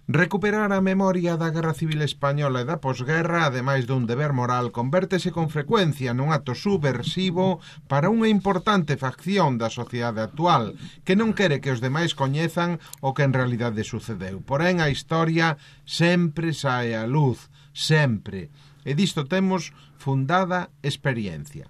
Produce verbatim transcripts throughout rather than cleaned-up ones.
Recuperar a memoria da Guerra Civil Española e da posguerra, ademais dun deber moral, convértese con frecuencia nun acto subversivo para unha importante facción da sociedade actual, que non quere que os demais coñezan o que en realidade sucedeu. Porén, a historia sempre sae á luz, sempre. E disto temos fundada experiencia.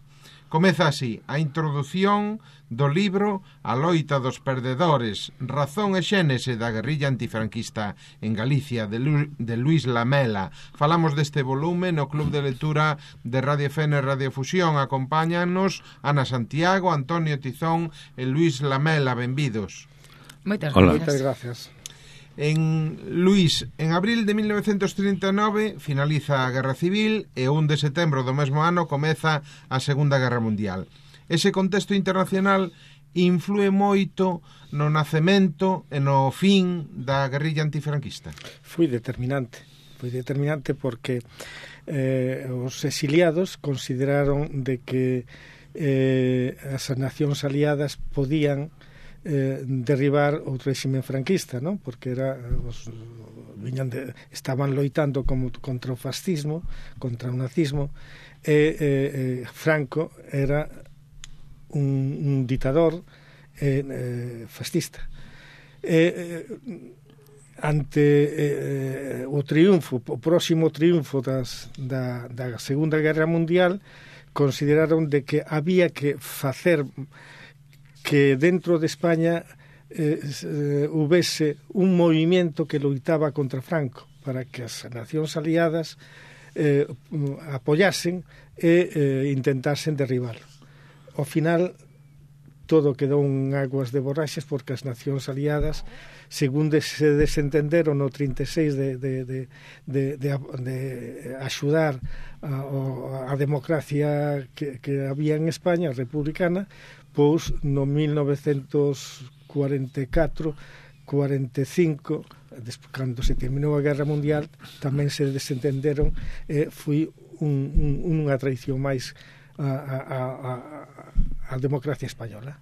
Comeza así a introdución do libro A loita dos perdedores, razón e xénese da guerrilla antifranquista en Galicia, de, Lu de Luís Lamela. Falamos deste volume no Club de Lectura de Radio F N e Radio Fusión. Acompáñanos Ana Santiago, Antonio Tizón e Luís Lamela. Benvidos. Moitas gracias. Moitas gracias. En Luís, en abril de mil novecientos trinta e nove finaliza a Guerra Civil e o un de setembro do mesmo ano comeza a Segunda Guerra Mundial. Ese contexto internacional influe moito no nacemento e no fin da guerrilla antifranquista. Foi determinante, foi determinante porque eh, os exiliados consideraron de que eh, as nacións aliadas podían Eh, derribar o réxime franquista, non? Porque era os, viñan de, estaban loitando como contra o fascismo, contra o nazismo, e eh, eh, Franco era un, un ditador eh, eh, fascista. Eh, eh, ante eh, o triunfo, o próximo triunfo das, da, da Segunda Guerra Mundial, consideraron de que había que facer que dentro de España eh, eh, houvese un movimento que loitaba contra Franco para que as nacións aliadas eh, apoyasen e eh, intentasen derribarlo. Ao final, todo quedou en aguas de borraxas porque as nacións aliadas, según de, se desentenderon no trinta e seis de, de, de, de, de, de axudar a, a democracia que, que había en España, republicana, pois no mil novecentos cuarenta e catro, cuarenta e cinco, cando se terminou a Guerra Mundial, tamén se desentenderon e foi un, un, unha traición máis a, a, a, a democracia española.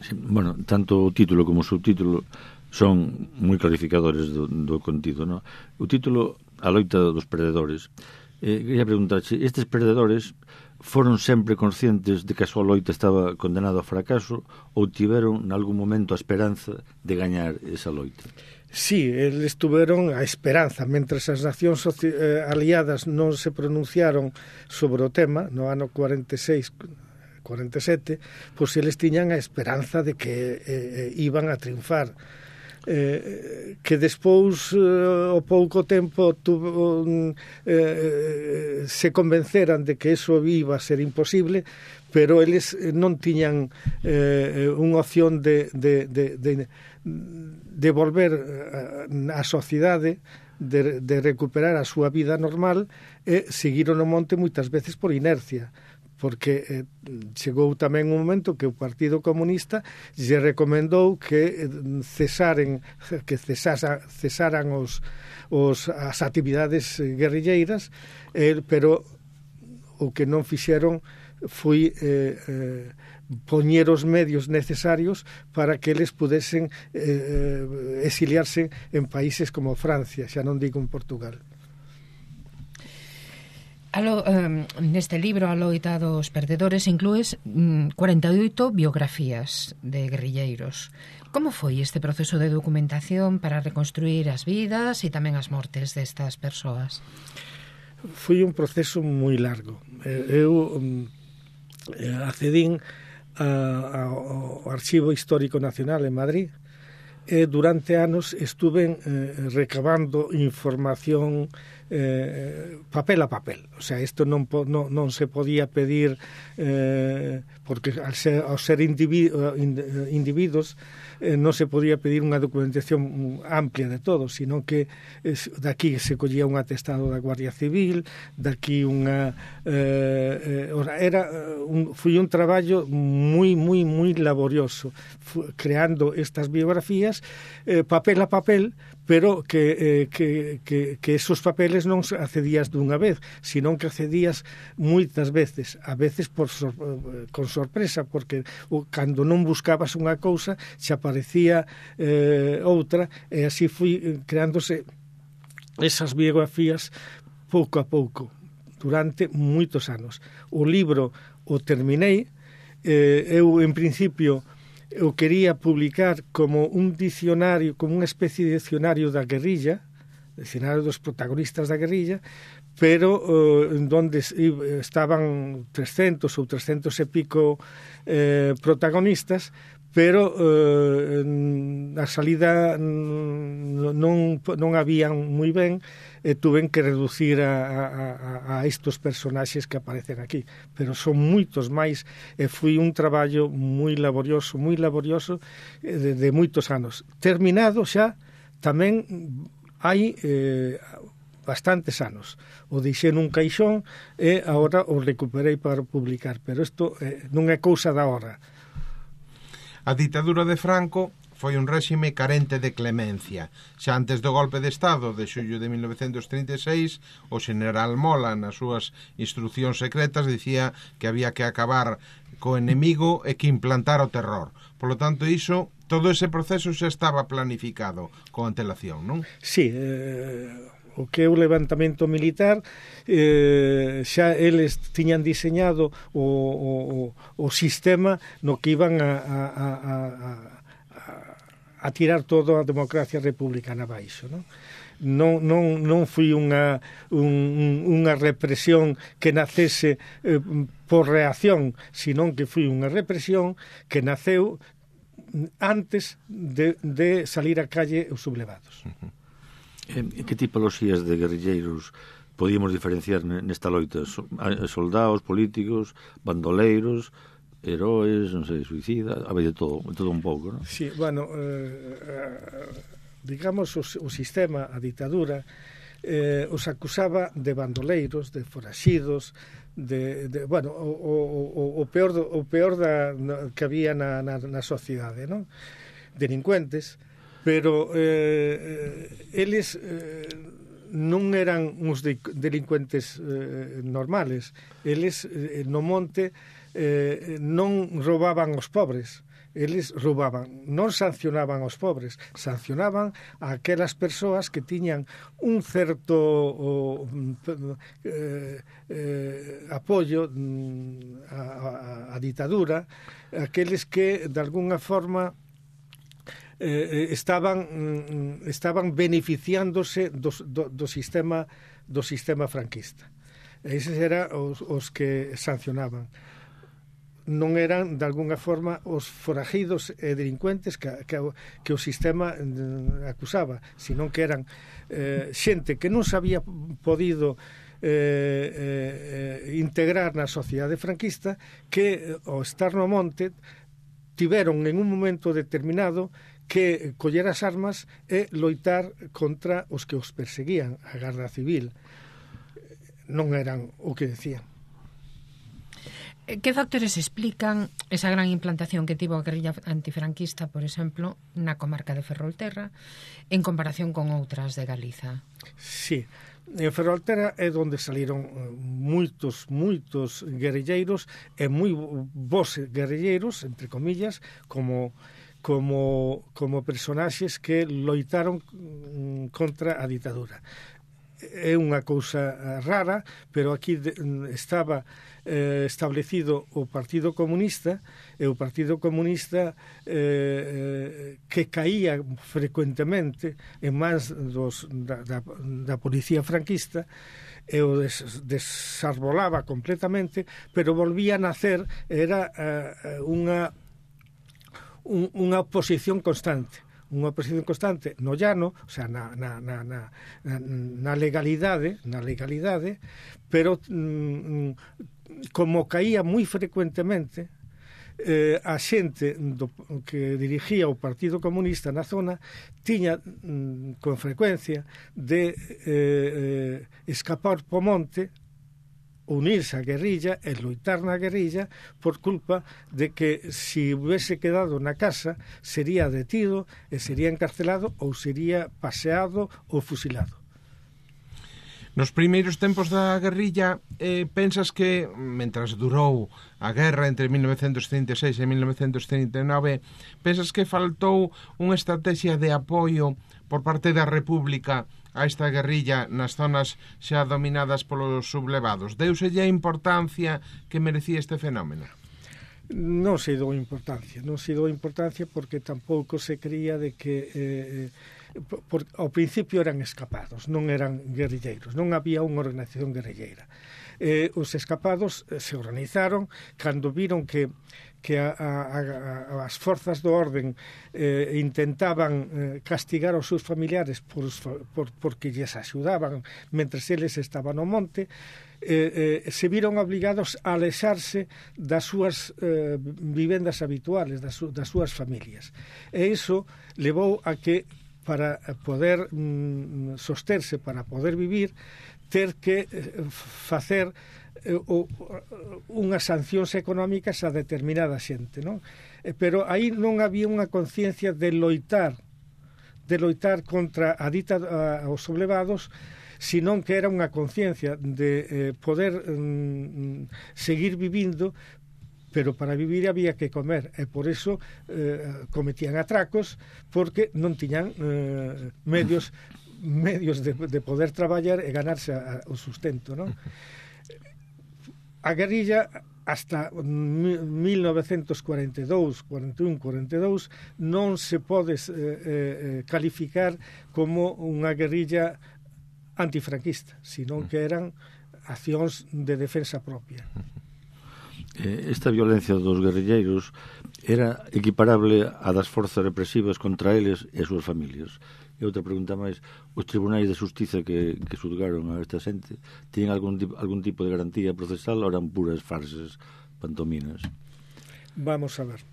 Sí, bueno, tanto o título como o subtítulo son moi clarificadores do, do contido, no? O título A loita dos perdedores. Eh, quería preguntarche, estes perdedores foron sempre conscientes de que a súa loita estaba condenada ao fracaso ou tiveron en algún momento a esperanza de gañar esa loita? Sí, eles tuveron a esperanza, mentres as nacións eh, aliadas non se pronunciaron sobre o tema no ano cuarenta e seis, cuarenta e sete, pois eles tiñan a esperanza de que eh, iban a triunfar. Eh, que despois eh, ao pouco tempo tuvo, eh, se convenceran de que eso iba a ser imposible, pero eles non tiñan eh, unha opción de, de, de, de, de volver á sociedade, de, de recuperar a súa vida normal, e seguiron o monte moitas veces por inercia, porque eh, chegou tamén un momento que o Partido Comunista lle recomendou que cesaren que cesasa, cesaran os, os, as actividades guerrilleiras, eh, pero o que non fixeron foi eh, eh, poñer os medios necesarios para que eles pudesen eh, exiliarse en países como Francia, xa non digo en Portugal. Alo, um, neste libro A loita dos perdedores inclúes um, cuarenta e oito biografías de guerrilleiros. Como foi este proceso de documentación para reconstruir as vidas e tamén as mortes destas persoas? Foi un proceso moi largo. Eu um, accedín a, a, ao Archivo Histórico Nacional en Madrid e durante anos estuve eh, recabando información eh, papel a papel. O sea, isto non, non, non se podía pedir eh, porque ao ser, ao ser individu, individuos eh, non se podía pedir unha documentación amplia de todo, sino que es, daqui se collía un atestado da Guardia Civil, daqui unha eh, eh, era un, foi un traballo moi, moi, moi laborioso creando estas biografías eh, papel a papel, pero que, eh, que, que, que esos papeles entonces non accedías dunha vez, sino que accedías moitas veces, a veces por sor, con sorpresa, porque o, cando non buscabas unha cousa, xa aparecía eh, outra, e así fui creándose esas biografías pouco a pouco, durante moitos anos. O libro o terminei, eh, eu en principio eu quería publicar como un dicionario, como unha especie de dicionario da guerrilla, dicionario dos protagonistas da guerrilla, pero uh, donde estaban trescentos ou trescentos e pico eh, protagonistas, pero uh, a salida non, non habían moi ben, e tuven que reducir a, a, a estos personaxes que aparecen aquí, pero son moitos máis, e foi un traballo moi laborioso, moi laborioso de, de moitos anos. Terminado xa, tamén hai eh, bastantes anos. O deixei nun caixón e agora o recuperei para publicar, pero isto eh, non é cousa da hora. A ditadura de Franco foi un réxime carente de clemencia. Xa antes do golpe de Estado de xullo de mil novecentos trinta e seis, o xeneral Mola, nas súas instruccións secretas, dicía que había que acabar co enemigo e que implantar o terror. Por lo tanto, iso, todo ese proceso xa estaba planificado con antelación, non? Sí, eh... o que é o levantamento militar, eh, xa eles tiñan diseñado o, o, o sistema no que iban a, a, a, a, a tirar toda a democracia republicana abaixo, non? Non, non, non foi unha, un, unha represión que nacese eh, por reacción, senón que foi unha represión que naceu antes de, de salir á calle os sublevados. Uh-huh. Que tipoloxías de guerrilleiros podíamos diferenciar nesta loita? Soldados, políticos, bandoleiros, heróis, non sei, suicida, a ver, de todo, de todo un pouco, non? Sí, bueno, eh, digamos, o, o sistema, a ditadura, eh, os acusaba de bandoleiros, de foraxidos, de, de bueno, o, o, o peor, o peor da, que había na, na, na sociedade, non? Delincuentes, pero eh, eles eh, non eran uns de, delincuentes eh, normales. Eles eh, no monte eh, non roubaban os pobres, eles roubaban, non sancionaban aos pobres, sancionaban a aquelas persoas que tiñan un certo o, eh, eh, apoio a, a, a ditadura, aqueles que de alguna forma Eh, estaban estaban beneficiándose do, do, do sistema do sistema franquista. Eses eran os, os que sancionaban. Non eran, de alguna forma, os forajidos e delincuentes que, que, que o sistema acusaba, senón que eran eh, xente que non se había podido eh, eh, integrar na sociedade franquista, que ao estar no monte tiveron en un momento determinado que coller as armas e loitar contra os que os perseguían, a Garda Civil. Non eran o que decían. Que factores explican esa gran implantación que tivo a guerrilla antifranquista, por exemplo, na comarca de Ferrolterra, en comparación con outras de Galiza? Sí, en Ferrolterra é onde saliron moitos, moitos guerrilleiros e moi bons guerrilleiros, entre comillas, como como como personaxes que loitaron contra a ditadura. É unha cousa rara, pero aquí estaba eh, establecido o Partido Comunista, e o Partido Comunista eh, que caía frecuentemente en mans dos, da, da, da policía franquista, e o des, desarbolaba completamente, pero volvía a nacer, era eh, unha unha oposición constante, unha oposición constante no llano, o sea, na, na, na, na, na legalidade, na legalidade, pero mm, como caía moi frecuentemente, eh, a xente do, que dirigía o Partido Comunista na zona tiña mm, con frecuencia de eh, eh, escapar po monte, unirse á guerrilla e loitar na guerrilla por culpa de que si hubiese quedado na casa sería detido e sería encarcelado ou sería paseado ou fusilado. Nos primeiros tempos da guerrilla, eh, pensas que, mentras durou a guerra entre mil novecentos trinta e seis e mil novecentos trinta e nove, pensas que faltou unha estrategia de apoio por parte da República a esta guerrilla nas zonas xa dominadas polos sublevados? Deuselle a importancia que merecía este fenómeno? Non se dou importancia, non se dou importancia porque tampouco se creía de que eh, por, ao principio eran escapados, non eran guerrilleiros, non había unha organización guerrilleira. Eh, os escapados eh, se organizaron cando viron que que a, a, a, as forzas do orden eh, intentaban eh, castigar aos seus familiares por, por, porque lles axudaban mentres eles estaban no monte, eh, eh, se viron obligados a alexarse das súas eh, vivendas habituales, das, das súas familias. E iso levou a que para poder mm, sosterse, para poder vivir, ter que eh, facer eh, o, unhas sancións económicas a determinada xente, non? Eh, pero aí non había unha conciencia de loitar de loitar contra a dita a, aos sublevados, senón que era unha conciencia de eh, poder mm, seguir vivindo, pero para vivir había que comer, e por iso eh, cometían atracos porque non tiñan eh, medios medios de, de poder traballar e ganarse a, a, o sustento, non? A guerrilla hasta mil novecentos cuarenta e dous, cuarenta e un, cuarenta e dous non se pode eh, eh, calificar como unha guerrilla antifranquista, senón que eran accións de defensa propia. Esta violencia dos guerrilleiros era equiparable a das forzas represivas contra eles e as súas familias. E outra pregunta máis, os tribunais de xustiza que, que xulgaron a esta xente tiñen algún, algún tipo de garantía procesal ou eran puras farsas, pantominas? Vamos a ver.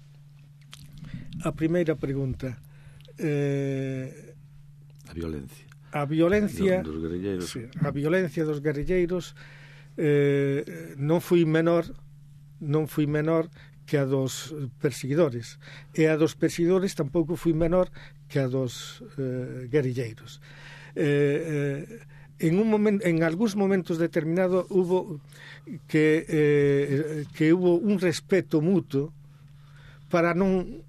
A primeira pregunta, eh, a violencia. A violencia dos guerrilleiros. Sí, a violencia dos guerrilleiros eh, non foi menor non foi menor que a dos perseguidores, e a dos perseguidores tampouco foi menor que a dos eh, guerrilleiros. Eh, eh, en un momento, en algúns momentos determinados hubo que eh, que hubo un respeto mutuo para non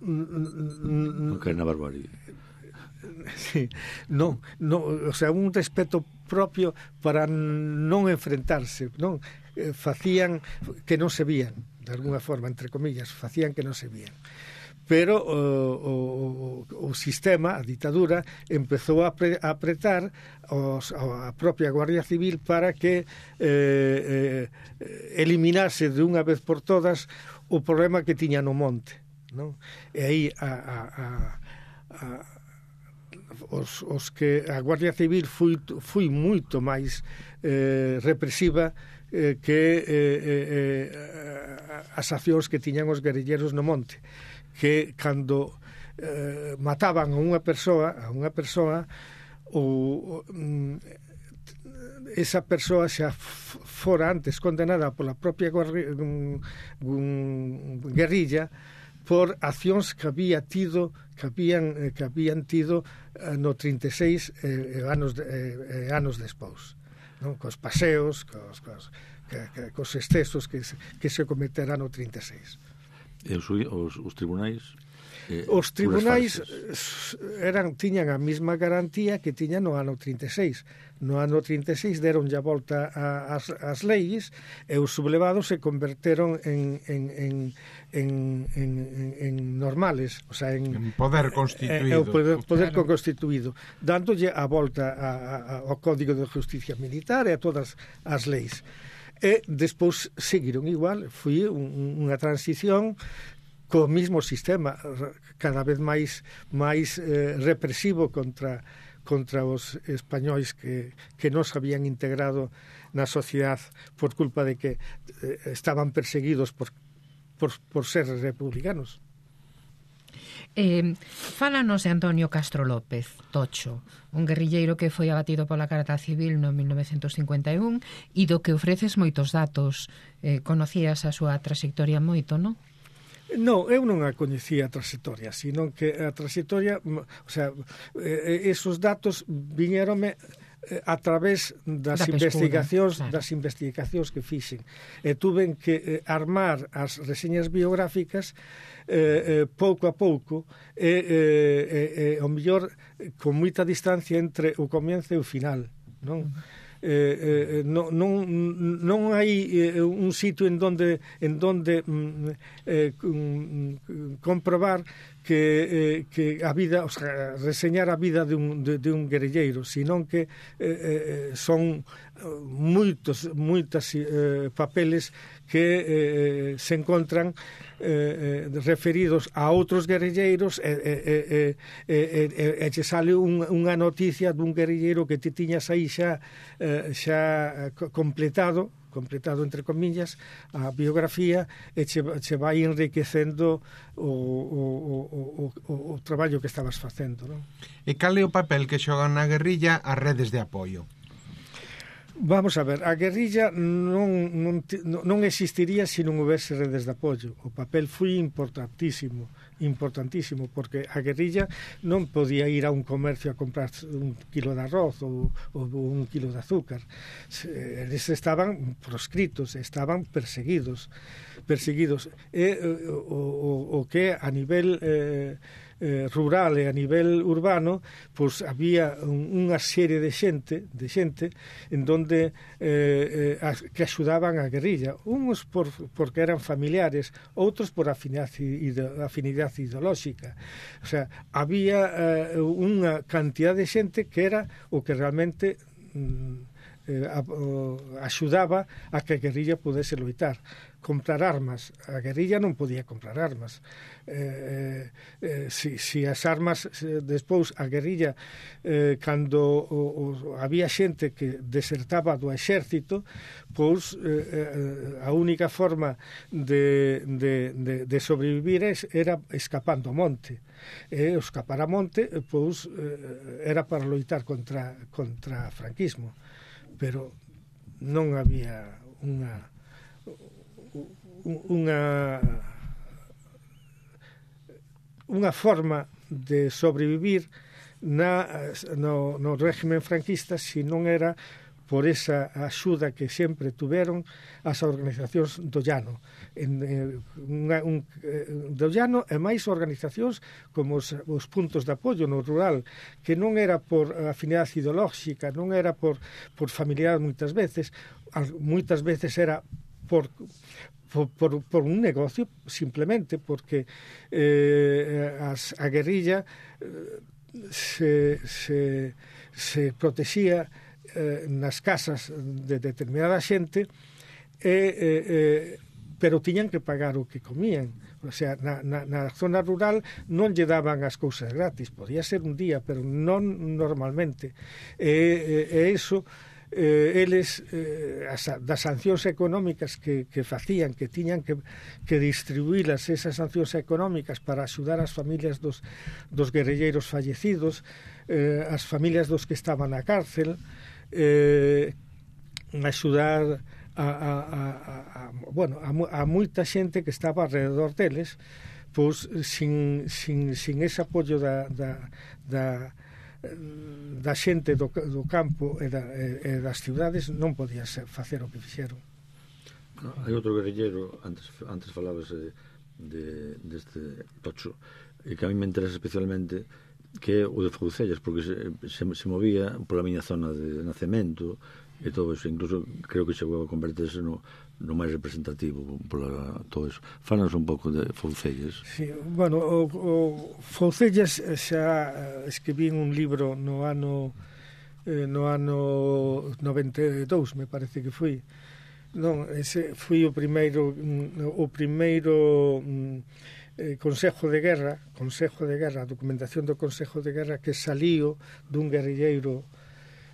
non caer na barbarie. Sí, non, non, o sea, un respeto propio para non enfrentarse, non? Eh, facían que non se vían, de alguna forma, entre comillas, facían que non se vían. Pero o, o, o sistema, a ditadura, empezou a, pre, a apretar os, a propia Guardia Civil para que eh, eh, eliminase de unha vez por todas o problema que tiña no monte, non? E aí a, a, a, a Os, os que a Guardia Civil foi, foi moito máis eh, represiva eh, que eh, eh, as accións que tiñan os guerrilleros no monte, que cando eh, mataban a unha persoa a unha persoa ou esa persoa xa fora antes condenada pola propia guerrilla por accións que había tido que habían que habían tido no trinta e seis eh, anos de, eh, anos despois, non? Cos paseos, cos, cos, que, que, cos excesos que se, que se cometerán no trinta e seis. E os, os, os tribunais Eh, os tribunais eran tiñan a mesma garantía que tiñan no ano trinta e seis. No ano trinta e seis deron a volta a, as, as leis e os sublevados se converteron en, en, en, en, en, en normales, o sea, en, en poder constituído, eh, o poder, poder claro. constituído, dándolle a volta a, a, ao Código de Justicia Militar e a todas as leis. E despois seguiron igual, foi un, unha transición co mismo sistema cada vez máis máis eh, represivo contra contra os españois que, que non se habían integrado na sociedade por culpa de que eh, estaban perseguidos por, por, por ser republicanos. Eh, fálanos de Antonio Castro López, Tocho, un guerrilleiro que foi abatido pola Carta Civil no mil novecentos cincuenta e un e do que ofreces moitos datos. Eh, conocías a súa trayectoria moito, non? Non, eu non a coñecía a trayectoria, sino que a trayectoria, o sea, esos datos viñérome a través das da investigacións, pescuda, claro. das investigacións que fixen. E tuven que eh, armar as reseñas biográficas eh, eh, pouco a pouco e, eh, eh, eh, ao mellor con moita distancia entre o comienzo e o final, non? Uh-huh. Eh, eh, non, non, non hai eh, un sitio en donde en donde mm, eh, mm, comprobar que, eh, que a vida, o sea, reseñar a vida de un, de, de un guerrilleiro, senón que eh, eh, son moitos moitas eh, papeles que eh, se encontran eh, eh, referidos a outros guerrilleiros e, e, e, e, e, e che sale un, unha noticia dun guerrilleiro que ti tiñas aí xa eh, xa completado completado entre comillas a biografía e che, che vai enriquecendo o, o, o, o, o traballo que estabas facendo, non? E cal é o papel que xogan na guerrilla as redes de apoio? Vamos a ver, a guerrilla non, non, non existiría se non houvese redes de apoio. O papel foi importantísimo, importantísimo, porque a guerrilla non podía ir a un comercio a comprar un kilo de arroz ou, ou un kilo de azúcar. Eles estaban proscritos, estaban perseguidos, perseguidos. E o, o, o que a nivel eh, eh, rural e a nivel urbano, pois había un, unha serie de xente, de xente en donde eh, eh, que axudaban a guerrilla, uns por, porque eran familiares, outros por afinidade, afinidade ideolóxica. O sea, había eh, unha cantidad de xente que era o que realmente mm, eh, a, o, axudaba a que a guerrilla pudese loitar. Comprar armas. A guerrilla non podía comprar armas. Eh, eh, si, si as armas, eh, despois a guerrilla, eh, cando o, o, había xente que desertaba do exército, pois eh, a única forma de, de, de, de sobrevivir era escapando ao monte. E o escapar a monte, pois, eh, era para loitar contra, contra franquismo. Pero non había unha unha unha forma de sobrevivir na, no, no régimen franquista se non era por esa axuda que sempre tuveron as organizacións do llano en, en, unha, un, do llano e máis organizacións como os, os puntos de apoio no rural, que non era por afinidade ideolóxica, non era por, por familiaridade moitas veces, moitas veces era por Por, por, por un negocio, simplemente porque eh, as, a guerrilla eh, se, se, se protexía eh, nas casas de determinada xente e, eh, eh, pero tiñan que pagar o que comían. O sea, na, na, na zona rural non lle daban as cousas gratis, podía ser un día, pero non normalmente. E, e, e iso Eh, eles eh, as, das sancións económicas que, que facían, que tiñan que, que distribuílas esas sancións económicas para axudar as familias dos, dos guerrilleiros fallecidos, eh, as familias dos que estaban na cárcel, eh, axudar a, a, a, a, bueno, a, a moita xente que estaba alrededor deles, pois sin, sin, sin ese apoio da, da, da da xente do, do campo e, da, e, e das ciudades non podía ser, facer o que fixeron. Hai outro guerrillero, antes, antes falabas de, de, deste Tocho, e que a mí me interesa especialmente, que é o de Foucellas, porque se, se, se movía pola miña zona de nacemento e todo eso, incluso creo que chegou a converterse no, no máis representativo pola todo eso. Fálanos un pouco de Foucellas. Sí, bueno, o, o Foucellas xa escribí un libro no ano eh, no ano noventa e dous, me parece que foi. Non, ese foi o primeiro o primeiro eh, Consejo de Guerra, Consejo de Guerra, a documentación do Consejo de Guerra que saliu dun guerrilleiro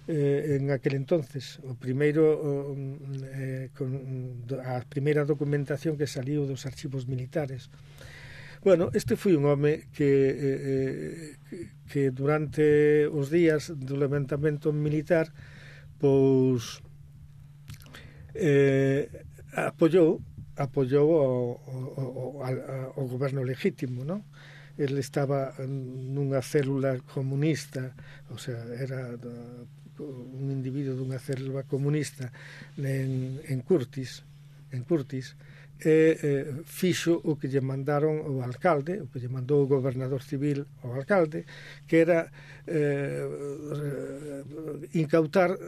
eh, en aquel entonces, o primeiro eh, con, a primeira documentación que saliu dos archivos militares. Bueno, este foi un home que, eh, que durante os días do levantamento militar pois eh, apoyou apoyou o, o, o, o goberno legítimo, non? Ele estaba nunha célula comunista, o sea, era un individuo dunha célula comunista en, en Curtis, en Curtis, e eh, fixo o que lle mandaron o alcalde, o que lle mandou o gobernador civil ao alcalde, que era eh, incautar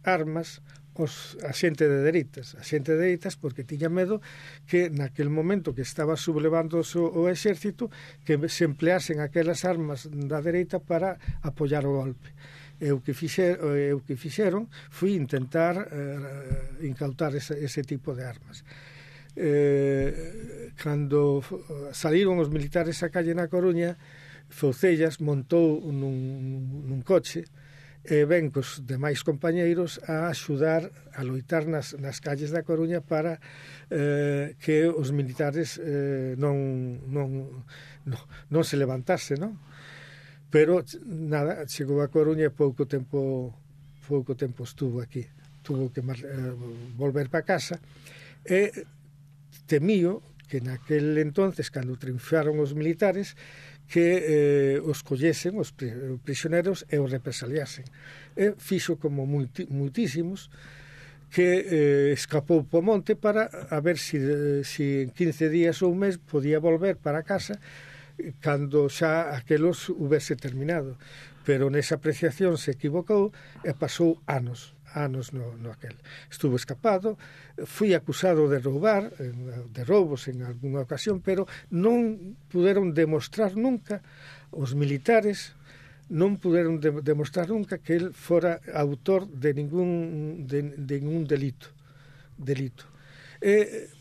armas os, a xente de dereitas, a xente de dereitas porque tiña medo que naquel momento que estaba sublevando o, o exército que se empleasen aquelas armas da dereita para apoiar o golpe. E o que fixeron, o que fixeron foi intentar eh, incautar ese, ese tipo de armas. Eh, cando saliron os militares a calle na Coruña, Foucellas montou nun, nun coche e ven cos demais compañeiros a axudar a loitar nas, nas calles da Coruña para eh, que os militares eh, non, non, non, non se levantase, non? Pero nada, chegou a Coruña e pouco tempo pouco tempo estuvo aquí, tuvo que mar, eh, volver para casa e temío que naquel entonces, cando triunfaron os militares, que eh, os collesen, os prisioneros, e os represaliasen. E fixo como multi, muitísimos, que eh, escapou po monte para a ver si, si en quince días ou un mes podía volver para casa cando xa aquelos hubese terminado. Pero nesa apreciación se equivocou e pasou anos. anos no, no aquel. Estuvo escapado, fui acusado de roubar, de roubos en algunha ocasión, pero non puderon demostrar nunca, os militares non puderon de, demostrar nunca que el fora autor de ningún de, de ningún delito. delito. E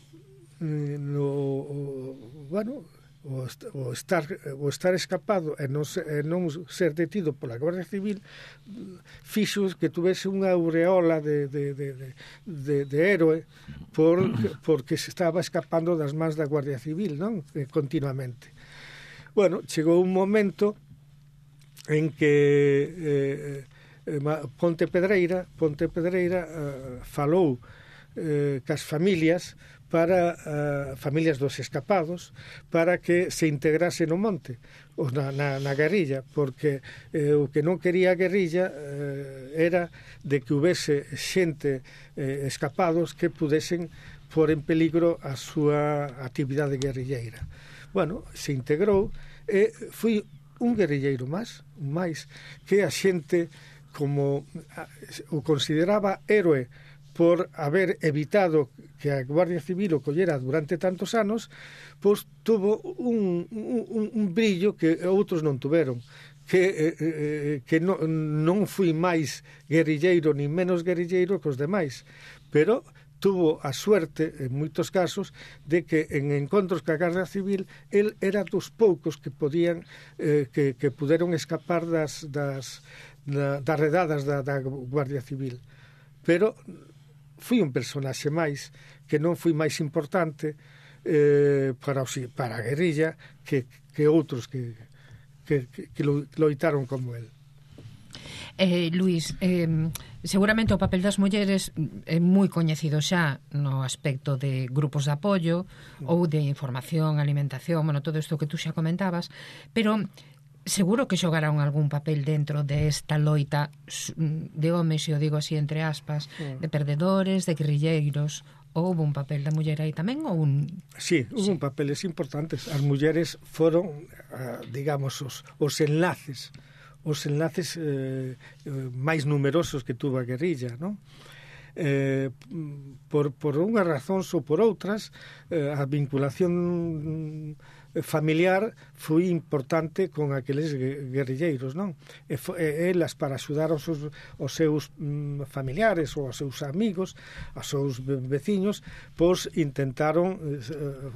no, bueno, o, o estar o estar escapado e non, e non ser detido pola Guardia Civil fixo que tuvese unha aureola de, de, de, de, de héroe por, porque se estaba escapando das mans da Guardia Civil, non? Eh, continuamente. Bueno, chegou un momento en que eh, eh, Ponte Pedreira Ponte Pedreira eh, falou eh, cas familias para uh, familias dos escapados para que se integrase no monte ou na, na, na guerrilla, porque eh, o que non quería a guerrilla eh, era de que houvese xente eh, escapados que pudesen pôr en peligro a súa actividade guerrilleira. Bueno, se integrou e foi un guerrilleiro máis, máis que a xente como a, o consideraba héroe por haber evitado que a Guardia Civil o collera durante tantos anos, pois tuvo un, un, un brillo que outros non tuveron, que, eh, que non, non foi máis guerrilleiro ni menos guerrilleiro que os demais, pero tuvo a suerte, en moitos casos, de que en encontros ca Guardia Civil el era dos poucos que podían eh, que, que puderon escapar das, das, da, das redadas da, da Guardia Civil. Pero foi un personaxe máis que non foi máis importante eh, para, os, para a guerrilla que, que outros que, que, que, que loitaron como el. Eh, Luís, eh, seguramente o papel das mulleres é moi coñecido xa no aspecto de grupos de apoio ou de información, alimentación, bueno, todo isto que tú xa comentabas, pero seguro que xogaron algún papel dentro de esta loita de homes, e o digo así entre aspas, sí, de perdedores, de guerrilleiros. Houve un papel da muller aí tamén? Ou un... Sí, houve sí. un papeles importantes. As mulleres foron, digamos, os, os enlaces os enlaces eh, máis numerosos que tuvo a guerrilla, non? Eh, por, por unhas razóns ou por outras, eh, a vinculación familiar foi importante con aqueles guerrilleiros, non? E, e elas, para axudar aos seus, aos seus mm, familiares ou aos seus amigos, aos seus veciños, pois intentaron eh,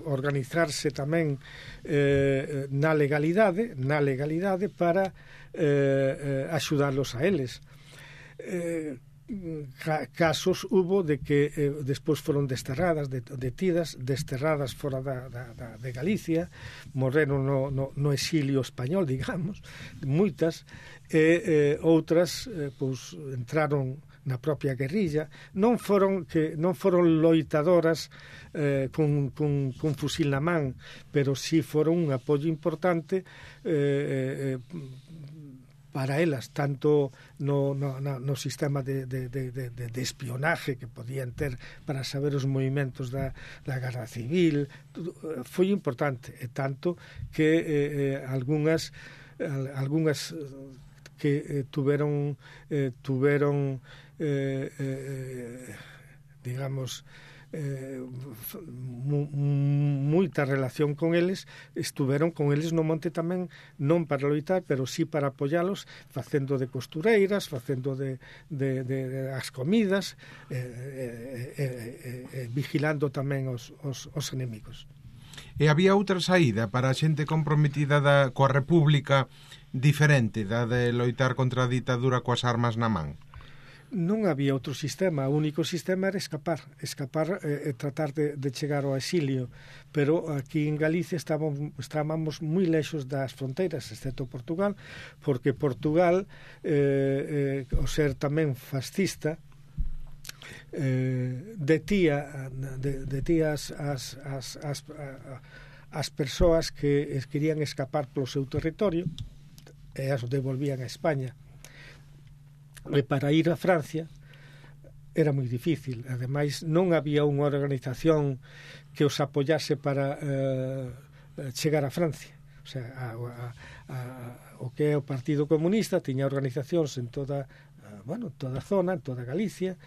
organizarse tamén eh, na legalidade, na legalidade para eh, eh, axudarlos a eles. Eh, casos hubo de que eh, despois foron desterradas, detidas, desterradas fora da, da, da, de Galicia, morreron no, no, no exilio español, digamos, moitas, e eh, outras eh, pois entraron na propia guerrilla, non foron que non foron loitadoras eh, con, con, con fusil na man, pero sí foron un apoio importante eh, eh, para elas, tanto no, no, no sistema de, de, de, de, de espionaje que podían ter para saber os movimentos da, da Guerra Civil, foi importante, e tanto que eh, algunhas algunhas que eh, tuveron eh, tuveron eh, eh, digamos eh, moita relación con eles, estuveron con eles no monte tamén, non para loitar, pero sí para apoialos, facendo de costureiras, facendo de, de, de, de as comidas, eh, eh, eh, eh, vigilando tamén os, os, os enemigos. E había outra saída para a xente comprometida da, coa República diferente da de loitar contra a ditadura coas armas na man? Non había outro sistema, o único sistema era escapar, escapar e eh, tratar de, de chegar ao exilio, pero aquí en Galicia estábamos, estábamos moi lexos das fronteiras, excepto Portugal, porque Portugal, eh, eh, o ser tamén fascista, eh, detía, de, detía as, as, as, as, as persoas que querían escapar polo seu territorio e as devolvían a España. E para ir a Francia era moi difícil, ademais non había unha organización que os apoyase para eh, chegar a Francia. O sea, a, a, a, o que é o Partido Comunista tiña organizacións en toda, bueno, toda a zona, en toda Galicia,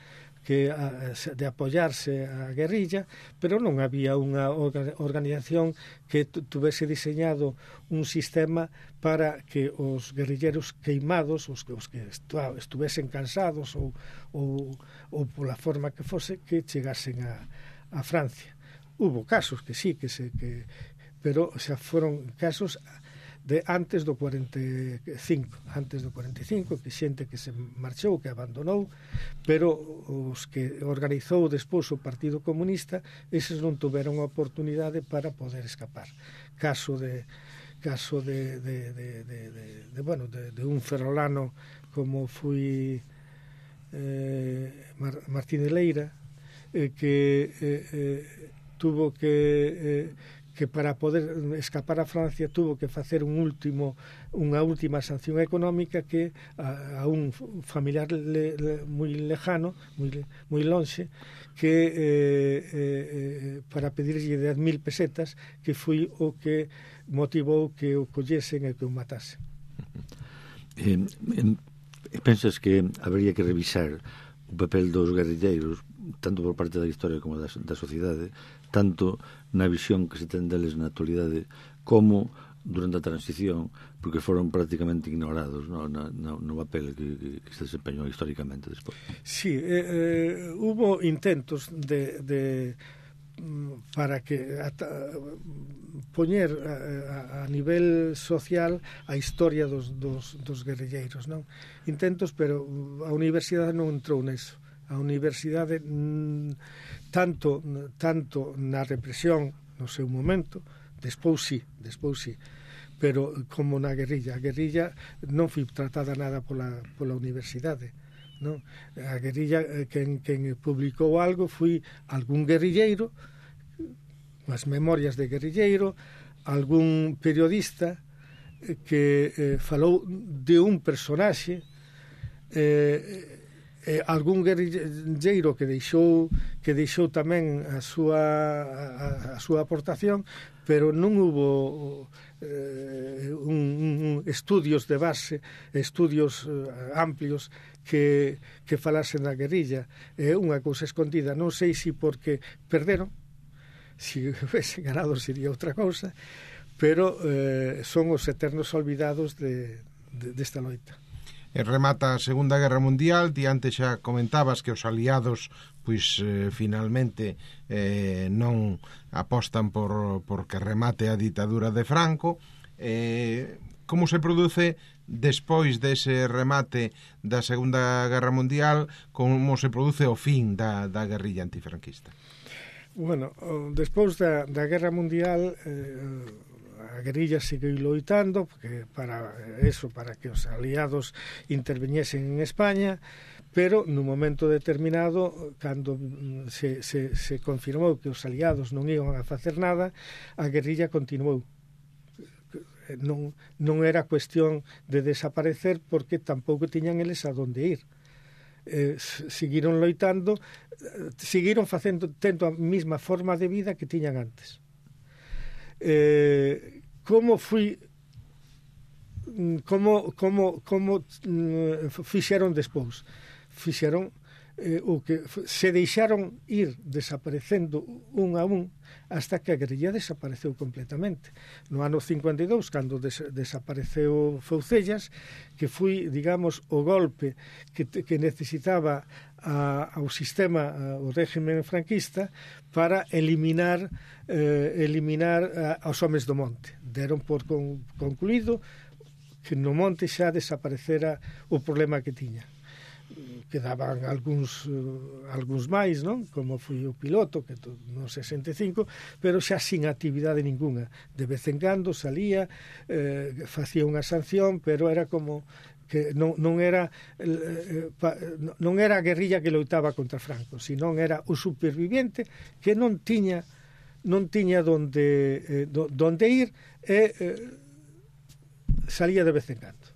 que a, de apoyarse a guerrilla, pero non había unha organización que tuvese diseñado un sistema para que os guerrilleros queimados, os que, os que estuvesen cansados ou, ou, ou pola forma que fose, que chegasen a, a Francia. Hubo casos que sí, que se, que, pero xa foron casos de antes do cuarenta e cinco, antes do cuarenta e cinco, que xente que se marchou, que abandonou, pero os que organizou despois o Partido Comunista, eses non tuveron a oportunidade para poder escapar. Caso de caso de de, de, de, de, de bueno, de, de un ferrolano como foi eh, Mar, Martín de Leira, eh, que eh, eh, tuvo que eh, que para poder escapar a Francia tuvo que facer un último unha última sanción económica que a, a un familiar le, le, moi lejano, moi, moi lonxe, que eh, eh, para pedirlle dez mil pesetas, que foi o que motivou que o collesen e que o matasen. Eh, eh, pensas que habería que revisar o papel dos guerrilleiros, tanto por parte da historia como da, da sociedade, tanto na visión que se ten deles na actualidade como durante a transición, porque foron prácticamente ignorados, no, na, no, no papel que, que se desempeñou históricamente despois. Sí, eh, eh, hubo intentos de, de para que ata, poñer a, a nivel social a historia dos, dos, dos guerrilleiros, non? Intentos, pero a universidade non entrou neso. A universidade tanto tanto na represión no seu momento, despois sí, despois sí, pero como na guerrilla, a guerrilla non foi tratada nada pola pola universidade, non? A guerrilla, quen quen publicou algo foi algún guerrilleiro, as memorias de guerrilleiro, algún periodista que eh, falou de un personaxe, eh Eh, algún guerrilleiro que deixou que deixou tamén a súa a, a súa aportación, pero non hubo eh, un, un estudios de base, estudios eh, amplios que, que falasen da guerrilla. É eh, unha cousa escondida, non sei se porque perderon, se hubiese ganado sería outra cousa, pero eh, son os eternos olvidados de, de, desta loita. E remata a Segunda Guerra Mundial, ti antes xa comentabas que os aliados pois eh, finalmente eh, non apostan por, por que remate a ditadura de Franco. Eh, como se produce despois dese remate da Segunda Guerra Mundial, como se produce o fin da, da guerrilla antifranquista? Bueno, despois da, da Guerra Mundial eh, a guerrilla seguiu loitando porque para eso, para que os aliados interveñesen en España, pero no momento determinado, cando se, se, se confirmou que os aliados non iban a facer nada, a guerrilla continuou. non, non era cuestión de desaparecer porque tampouco tiñan eles a donde ir. Eh, seguiron loitando, seguiron facendo, tendo a mesma forma de vida que tiñan antes. Eh, como fui como como como fixeron despois? Fixeron eh, o que se deixaron ir desaparecendo un a un hasta que a guerrilla desapareceu completamente. No ano cincuenta e dous, cando des desapareceu Foucellas, que foi, digamos, o golpe que, que necesitaba a, ao sistema, ao régimen franquista, para eliminar eh, eliminar a, aos homes do monte. Deron por con, concluído que no monte xa desaparecera o problema que tiña. Quedaban algúns uh, algúns máis, non? Como foi o piloto, que no sesenta e cinco, pero xa sin actividade ninguna. De vez en cando salía, eh, facía unha sanción, pero era como que non, non era eh, pa, non era a guerrilla que loitaba contra Franco, senón era o superviviente que non tiña non tiña donde eh, do, donde ir e eh, salía de vez en cando.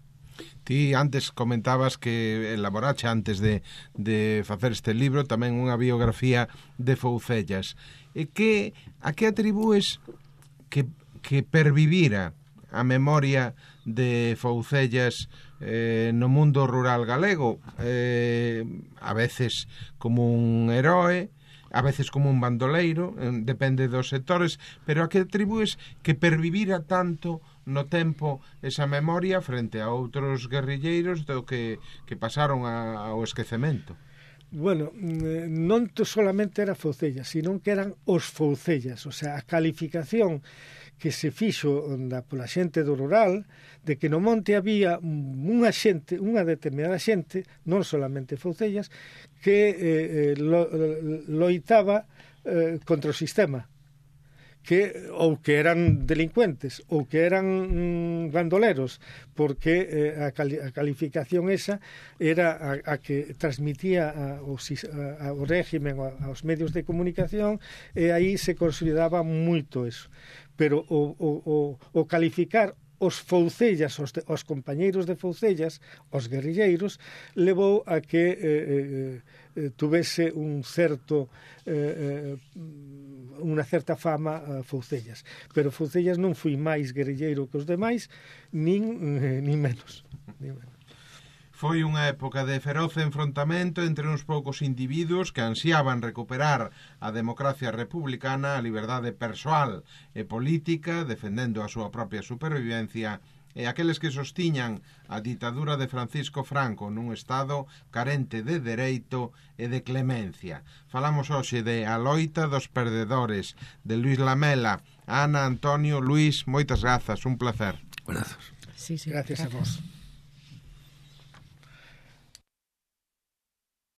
Ti antes comentabas que elaborache antes de, de facer este libro tamén unha biografía de Foucellas. E que, a que atribúes que, que pervivira a memoria de Foucellas eh, no mundo rural galego? Eh, a veces como un heroe, a veces como un bandoleiro, eh, depende dos sectores, pero a que atribúes que pervivira tanto no tempo esa memoria frente a outros guerrilleiros do que, que pasaron a, ao esquecemento? Bueno, non solamente era Foucellas, sino que eran os Foucellas, o sea, a calificación que se fixo da, pola xente do rural de que no monte había unha xente, unha determinada xente, non solamente Foucellas, que eh, lo, loitaba eh, contra o sistema, que ou que eran delincuentes ou que eran mm, bandoleros, porque eh, a, cali a calificación esa era a, a que transmitía a, o, a, ao régimen, a, aos medios de comunicación, e aí se consideraba moito eso. Pero o, o, o, o calificar os Foucellas, os, de, os compañeiros de Foucellas, os guerrilleiros, levou a que eh, eh, tuvese un certo eh, unha certa fama a Foucellas. Pero Foucellas non foi máis guerrilleiro que os demais, nin, eh, nin menos. Nin menos. Foi unha época de feroz enfrontamento entre uns poucos individuos que ansiaban recuperar a democracia republicana, a liberdade persoal e política, defendendo a súa propia supervivencia, e aqueles que sostiñan a ditadura de Francisco Franco nun estado carente de dereito e de clemencia. Falamos hoxe de A loita dos perdedores, de Luis Lamela. Ana, Antonio, Luis, moitas grazas, un placer. Grazas. Sí, sí, gracias, gracias a vos.